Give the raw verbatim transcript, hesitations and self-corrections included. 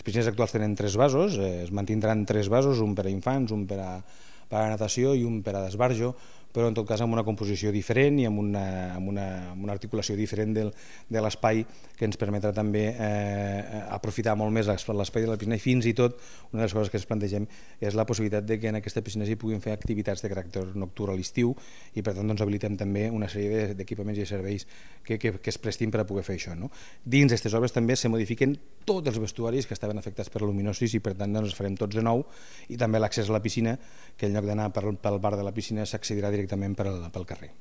Les piscines actuals tenen tres vasos, eh, es mantindran tres vasos, un per a infants, un per a, per a natació i un per a d'esbarjo, però en tot cas amb una composició diferent i amb una, amb una, amb una articulació diferent del, de l'espai que ens permetrà també eh, aprofitar molt més l'espai de la piscina, i fins i tot una de les coses que ens plantegem és la possibilitat de que en aquesta piscina s'hi puguin fer activitats de caràcter nocturn a l'estiu, i per tant doncs, habilitem també una sèrie d'equipaments i serveis que, que, que es prestin per a poder fer això. No? Dins d'aquestes obres també se modifiquen tots els vestuaris que estaven afectats per la luminosis, i per tant doncs, els farem tots de nou, i també l'accés a la piscina, que en lloc d'anar pel, pel bar de la piscina s'accedirà directament pel, pel carrer.